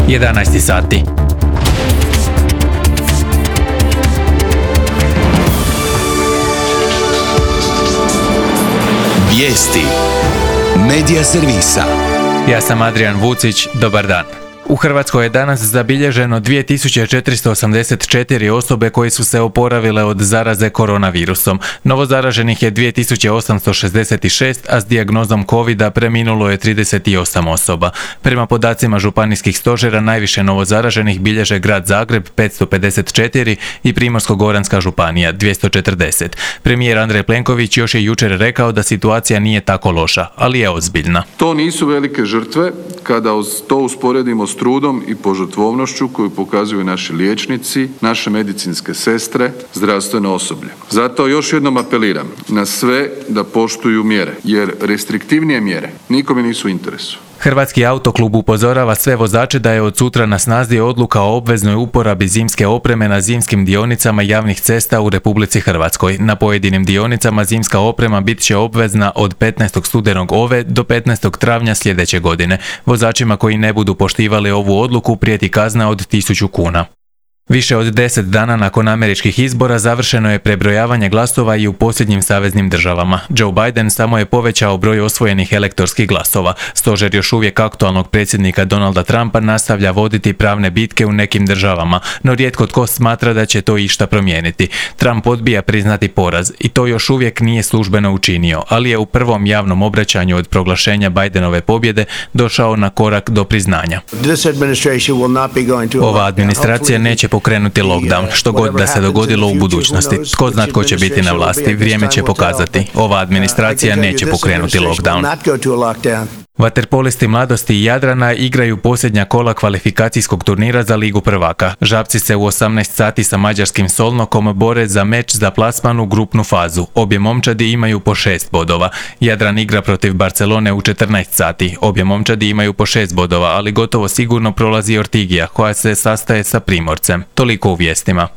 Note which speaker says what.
Speaker 1: 11 sati.
Speaker 2: Vijesti Medija servisa.
Speaker 1: Ja sam Adrian Vucić, dobar dan. U Hrvatskoj je danas zabilježeno 2484 osobe koje su se oporavile od zaraze koronavirusom. Novozaraženih je 2866, a s dijagnozom covida preminulo je 38 osoba. Prema podacima županijskih stožera najviše novozaraženih bilježe grad Zagreb 554 i Primorsko-goranska županija 240. Premijer Andrej Plenković još je jučer rekao da situacija nije tako loša, ali je ozbiljna.
Speaker 3: To nisu velike žrtve kada to usporedimo s trudom i požrtvovnošću koju pokazuju naši liječnici, naše medicinske sestre, zdravstveno osoblje. Zato još jednom apeliram na sve da poštuju mjere, jer restriktivnije mjere nikome nisu u interesu.
Speaker 1: Hrvatski autoklub upozorava sve vozače da je od sutra na snazi odluka o obveznoj uporabi zimske opreme na zimskim dionicama javnih cesta u Republici Hrvatskoj. Na pojedinim dionicama zimska oprema bit će obvezna od 15. studenog ove do 15. travnja sljedeće godine. Vozačima koji ne budu poštivali ovu odluku prijeti kazna od 1000 kuna. Više od 10 dana nakon američkih izbora završeno je prebrojavanje glasova i u posljednjim saveznim državama. Joe Biden samo je povećao broj osvojenih elektorskih glasova. Stožer još uvijek aktualnog predsjednika Donalda Trumpa nastavlja voditi pravne bitke u nekim državama, no rijetko tko smatra da će to išta promijeniti. Trump odbija priznati poraz i to još uvijek nije službeno učinio, ali je u prvom javnom obraćanju od proglašenja Bidenove pobjede došao na korak do priznanja. Ova administracija neće pokrenuti lockdown, što god da se dogodilo u budućnosti. Tko zna tko će biti na vlasti, vrijeme će pokazati. Ova administracija neće pokrenuti lockdown. Vaterpolisti mladosti i Jadrana igraju posljednja kola kvalifikacijskog turnira za Ligu prvaka. Žabci se u 18 sati sa mađarskim Solnokom bore za meč za plasman u grupnu fazu. Obje momčadi imaju po 6 bodova. Jadran igra protiv Barcelone u 14 sati. Obje momčadi imaju po 6 bodova, ali gotovo sigurno prolazi Ortigija, koja se sastaje sa Primorcem. Toliko u vijestima.